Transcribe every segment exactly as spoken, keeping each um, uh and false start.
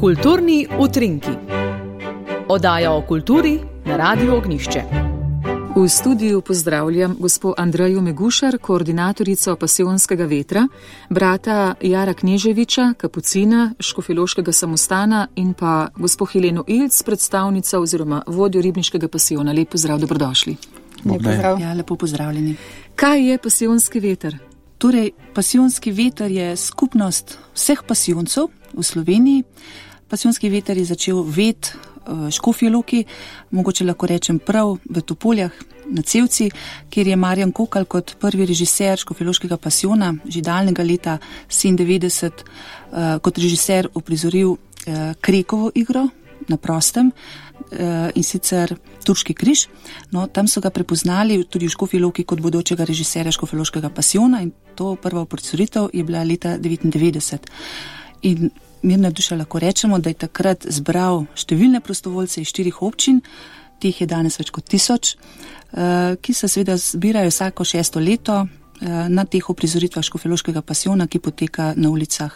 Kulturni utrinki. Oddaja o kulturi na Radiu Ognjišče. V studiu pozdravljam gospo Andrejo Megušar, koordinatorico Pasijonskega vetra, brata Jara Kneževiča, kapucina Škofjeloškega samostana in pa gospo Heleno Ilc, predstavnica oziroma vodjo ribniškega pasijona. Lep pozdrav, dobrodošli. Lep pozdrav. Ja, lepo pozdravljeni. Kaj je Pasijonski veter? Torej, Pasijonski veter je skupnost vseh pasijoncev v Sloveniji. Pasijonski veter je začel vet v Škofji Loki, mogoče lahko rečem prav v Topoljah na Cevci, kjer je Marjan Kokal kot prvi režiser Škofjeloškega pasijona že daljnega leta sedemindevetdeset uh, kot režiser uprizoril uh, Krekovo igro na prostem uh, in sicer Turški križ. No, tam so ga prepoznali tudi v Škofji Loki kot bodočega režiserja Škofjeloškega pasijona in to prva uprizoritev je bila leta devetindevetdeset. In mirna duša lahko rečemo, da je takrat zbral številne prostovoljce iz štirih občin, teh je danes več kot tisoč, ki se seveda zbirajo vsako šesto leto na teh uprizoritvah Škofjeloškega pasijona, ki poteka na ulicah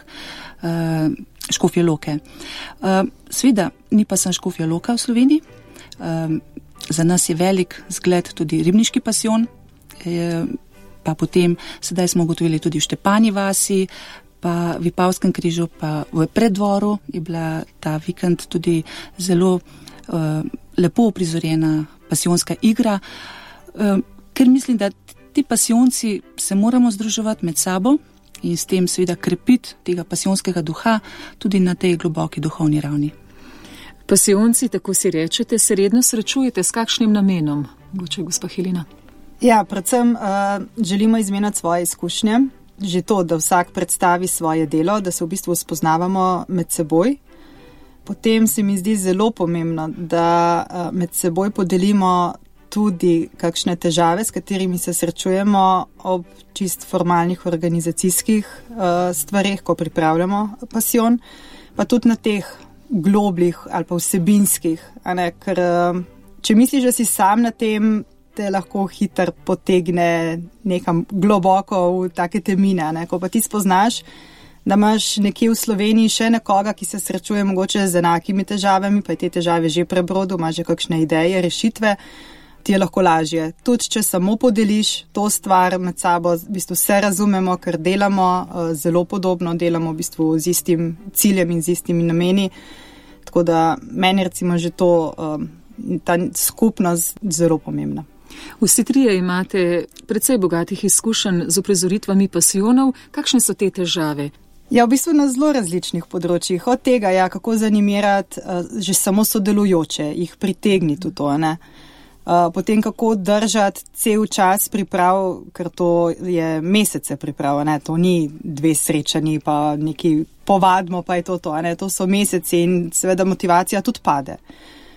Škofje Loke. Seveda ni pa samo Škofja Loka v Sloveniji, za nas je velik zgled tudi ribniški pasijon, pa potem sedaj smo ugotovili tudi v Štepanji vasi, pa v Vipavskem križu, pa v Preddvoru je bila ta vikend tudi zelo uh, lepo uprizorjena pasijonska igra, uh, ker mislim, da ti pasijonci se moramo združevati med sabo in s tem seveda krepiti tega pasijonskega duha tudi na tej globoki duhovni ravni. Pasijonci, tako si rečete, se redno srečujete s kakšnim namenom? Mogoče gospa Helena. Ja, predvsem uh, želimo izmenjati svoje izkušnje. Že to, da vsak predstavi svoje delo, da se v bistvu spoznavamo med seboj. Potem se mi zdi zelo pomembno, da med seboj podelimo tudi kakšne težave, s katerimi se srečujemo ob čist formalnih organizacijskih stvareh, ko pripravljamo pasijon, pa tudi na teh globljih ali pa vsebinskih. A ne? Ker če misliš, da si sam na tem, te lahko hitro potegne nekam globoko v take temine, ne? Ko pa ti spoznaš, da imaš nekje v Sloveniji še nekoga, ki se srečuje mogoče z enakimi težavami, pa je te težave že prebrodil, ima že kakšne ideje, rešitve, ti je lahko lažje. Tudi, če samo podeliš to stvar med sabo, v bistvu vse razumemo, ker delamo zelo podobno, delamo v bistvu z istim ciljem in z istimi nameni, tako da meni recimo že to, ta skupnost zelo pomembna. Vsi trije imate precej bogatih izkušenj z uprizoritvami pasijonov. Kakšne so te težave? Ja, v bistvu na zelo različnih področjih. Od tega, ja, kako zanimirati uh, že samo sodelujoče, jih pritegniti v to, ne. Uh, potem kako držati cel čas priprav, ker to je mesece priprav, ne. To ni dve srečanji, pa neki povadimo, pa je to to, ne. To so meseci in seveda motivacija tudi pade.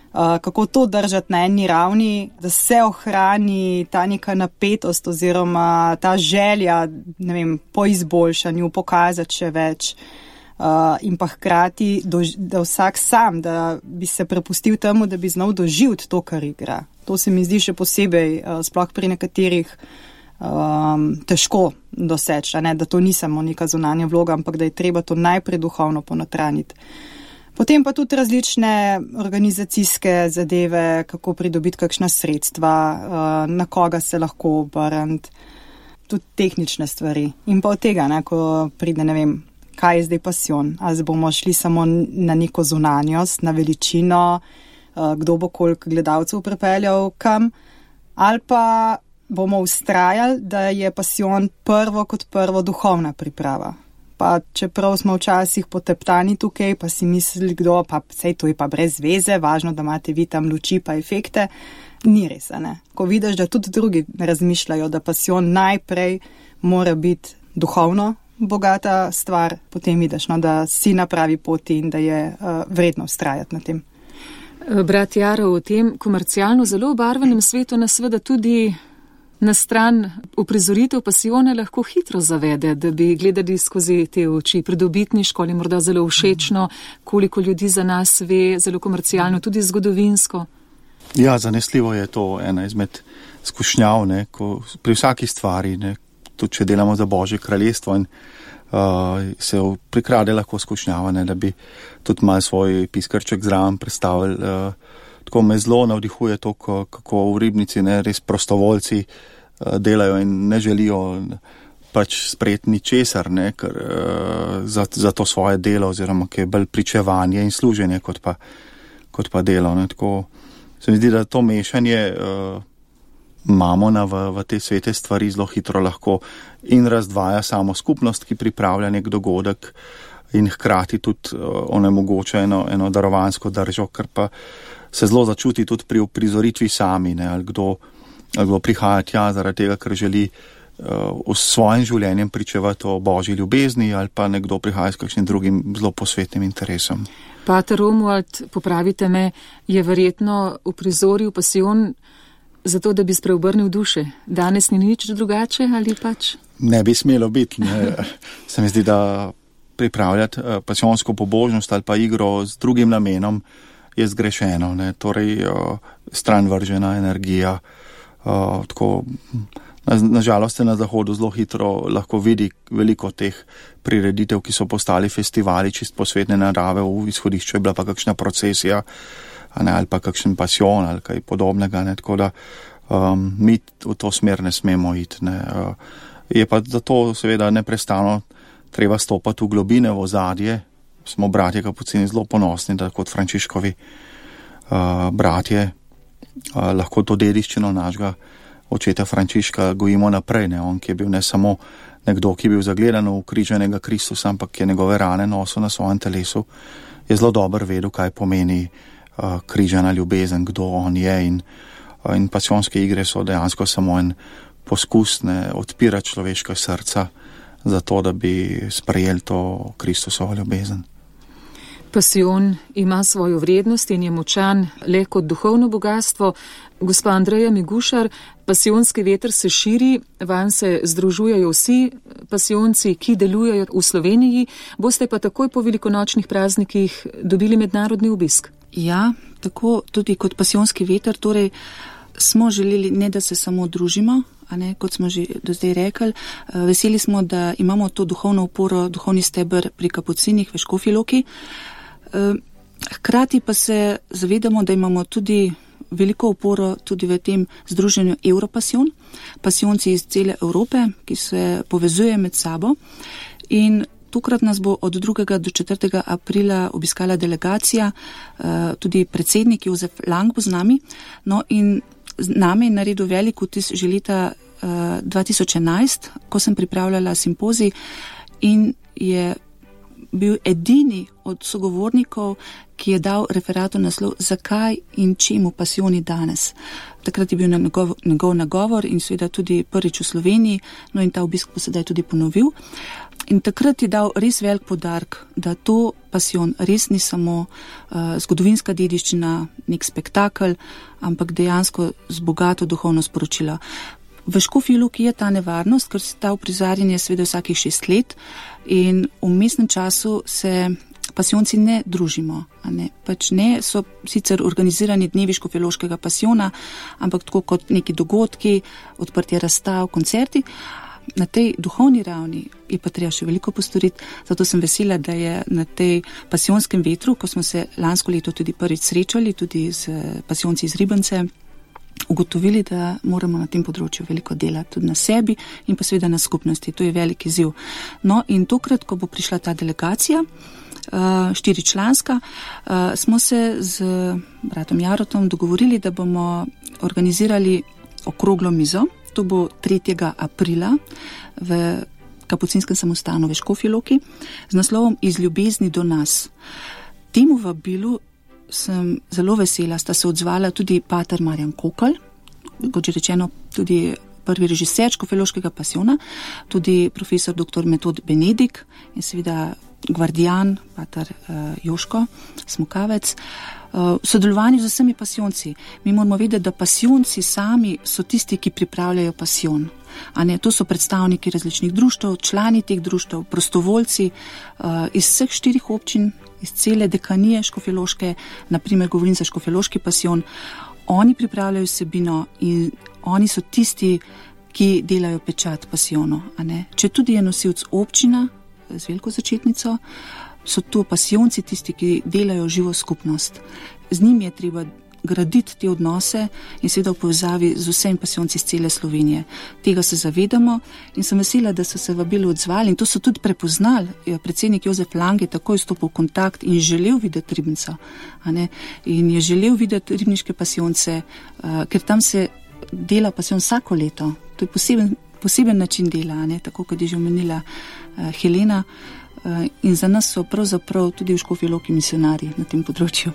Uh, kako to držati na eni ravni, da se ohrani ta neka napetost oziroma ta želja, ne vem, po izboljšanju, pokazati še več uh, in pa hkrati, dož, da vsak sam, da bi se prepustil temu, da bi znal doživeti to, kar igra. To se mi zdi še posebej, uh, sploh pri nekaterih, um, težko doseči, ne? Da to ni samo neka zunanja vloga, ampak da je treba to najprej duhovno ponotraniti. Potem pa tudi različne organizacijske zadeve, kako pridobiti kakšna sredstva, na koga se lahko obrniti, tudi tehnične stvari. In pa od tega, ne, ko pride, ne vem, kaj je zdaj pasijon. Ali bomo šli samo na neko zunanjost, na veličino, kdo bo koliko gledalcev pripeljal kam, ali pa bomo vztrajali, da je pasijon prvo kot prvo duhovna priprava. Pa čeprav smo včasih poteptani tukaj, pa si mislili, kdo, pa sej to je pa brez veze, važno, da imate vi tam luči pa efekte, ni res, ne. Ko vidiš, da tudi drugi razmišljajo, da pasijon najprej mora biti duhovno bogata stvar, potem vidiš, no, da si na pravi poti in da je uh, vredno vztrajati na tem. Brat Jaro, v tem komercialno zelo obarvanem svetu nas seveda tudi na stran uprizoritev pasijone lahko hitro zavede, da bi gledali skozi te oči pridobitniško ali morda zelo všečno, koliko ljudi za nas ve, zelo komercialno, tudi zgodovinsko. Ja, zanesljivo je to ena izmed skušnjav, ne, ko pri vsaki stvari, ne, tudi če delamo za Božje kraljestvo in uh, se prikrade lahko skušnjava, ne, da bi tudi malo svoj piskrček zraven predstavili. Uh, tako me zelo navdihuje to, kako v ribnici ne, res prostovoljci uh, delajo in ne želijo pač sprejeti ničesar, ne, ker, uh, za, za to svoje delo, oziroma ki je bolj pričevanje in služenje kot pa, kot pa delo. Ne. Tako se mi zdi, da to mešanje uh, mamona v, v te svete stvari zelo hitro lahko in razdvaja samo skupnost, ki pripravlja nek dogodek in hkrati tudi uh, onemogoča eno, eno darovansko držo, ker pa se zelo začuti tudi pri uprizoritvi sami, ne, ali kdo, ali kdo prihaja tja zaradi tega, ker želi uh, s svojim življenjem pričevati o božji ljubezni, ali pa nekdo prihaja s kakšnim drugim zelo posvetnim interesom. Pater Romuald, popravite me, je verjetno uprizoril pasijon zato, da bi spreobrnil duše. Danes ni nič drugače ali pač? Ne bi smelo biti. Ne. Se mi zdi, da pripravljati uh, pasijonsko pobožnost ali pa igro z drugim namenom je zgrešeno, ne, torej uh, stran vržena energija. Uh, tako, na, na žalost se na zahodu zelo hitro lahko vidi veliko teh prireditev, ki so postali festivali čist posvetne narave, v izhodišču je bila pa kakšna procesija, ne, ali pa kakšen pasijon ali kaj podobnega, ne, tako da um, mi v to smer ne smemo iti. Ne. Uh, je pa zato seveda neprestano treba stopati v globine, v ozadje. Smo bratje kapucini zelo ponosni, da kot Frančiškovi uh, bratje uh, lahko to dediščino našega očeta Frančiška gojimo naprej. Ne? On, ki je bil ne samo nekdo, ki je bil zagledan v ukrižanega Kristusa, ampak je njegove rane nosil na svojem telesu, je zelo dobro vedel, kaj pomeni uh, križana ljubezen, kdo on je. In, uh, in pasijonske igre so dejansko samo en poskus, ne, odpirati človeška srca za to, da bi sprejeli to Kristusovo ljubezen. Pasijon ima svojo vrednost in je močan le kot duhovno bogatstvo. Gospa Andreja Migušar, pasijonski veter se širi, vanj se združujejo vsi pasijonci, ki delujejo v Sloveniji. Boste pa takoj po velikonočnih praznikih dobili mednarodni obisk. Ja, tako tudi kot pasijonski veter, torej smo želeli ne, da se samo družimo, a ne, kot smo že do zdaj rekli. Veseli smo, da imamo to duhovno oporo, duhovni steber pri kapucinih v Škofji Loki. Hkrati pa se zavedamo, da imamo tudi veliko oporo tudi v tem združenju Europasijon, pasijonci iz cele Evrope, ki se povezuje med sabo. In tokrat nas bo od drugega do četrtega aprila obiskala delegacija, tudi predsednik Jozef Lang bo z nami. No in z nami je naredil velik vtis že leta dva tisoč enajst, ko sem pripravljala simpozij in je bil edini od sogovornikov, ki je dal referatu naslov Zakaj in čemu pasijoni danes. Takrat je bil njegov, njegov nagovor in seveda tudi prvič v Sloveniji, no in ta obisk bo sedaj tudi ponovil. In takrat je dal res velik poudarek, da to pasijon res ni samo uh, zgodovinska dediščina, nek spektakel, ampak dejansko z bogato duhovno sporočilo. V Škofji Loki je ta nevarnost, ker se ta uprizarjanje sveda vsakih šest let in v mestnem času se pasijonci ne družimo. Ne? Pač ne so sicer organizirani dnevi škofjeloškega pasijona, ampak tako kot neki dogodki, odprtje razstav, koncerti. Na tej duhovni ravni je pa treba še veliko postoriti, zato sem vesela, da je na tej pasijonskem vetru, ko smo se lansko leto tudi prvič srečali, tudi z pasijonci iz Ribence, ugotovili, da moramo na tem področju veliko delati tudi na sebi in pa seveda na skupnosti. To je velik izziv. No in tokrat, ko bo prišla ta delegacija, štiričlanska, smo se z bratom Jarotom dogovorili, da bomo organizirali okroglo mizo. To bo tretjega aprila v Kapucinskem samostanu v Škofji Loki z naslovom Iz ljubezni do nas. Temu vabilu sem zelo vesela, sta se odzvala tudi pater Marjan Kokl, kot že rečeno tudi prvi režiser škofjeloškega pasijona, tudi profesor doktor Metod Benedik in seveda gvardijan, pater uh, Joško Smokavec. V sodelovanju z vsemi pasijonci. Mi moramo vedeti, da pasijonci sami so tisti, ki pripravljajo pasijon. A ne, to so predstavniki različnih društev, člani teh društev, prostovoljci uh, iz vseh štirih občin, iz cele dekanije škofjeloške, naprimer govorim za škofjeloški pasijon. Oni pripravljajo vsebino in oni so tisti, ki delajo pečat pasijonu. A ne. Če tudi je nosilc občina, z veliko začetnico, so to pasijonci tisti, ki delajo živo skupnost. Z njimi je treba graditi te odnose in seveda v povezavi z vsemi pasijonci iz cele Slovenije. Tega se zavedamo in sem vesela, da so se vabili odzvali in to so tudi prepoznali. Predsednik Jozef Lang je takoj stopil v kontakt in želel videti Ribnico. In je želel videti ribniške pasijonce, ker tam se dela pasijon vsako leto. To je poseben, poseben način dela, ne? Tako kot je že omenila uh, Helena. Uh, in za nas so pravzaprav tudi v Škofji Loki misionarji na tem področju.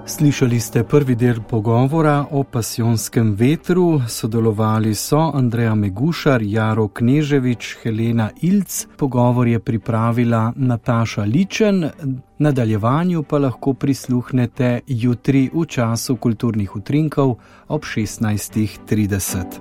Slišali ste prvi del pogovora o pasijonskem vetru. Sodelovali so Andreja Megušar, Jaro Kneževič, Helena Ilc. Pogovor je pripravila Nataša Ličen. Nadaljevanju pa lahko prisluhnete jutri v času kulturnih utrinkov ob šestnajstih trideset.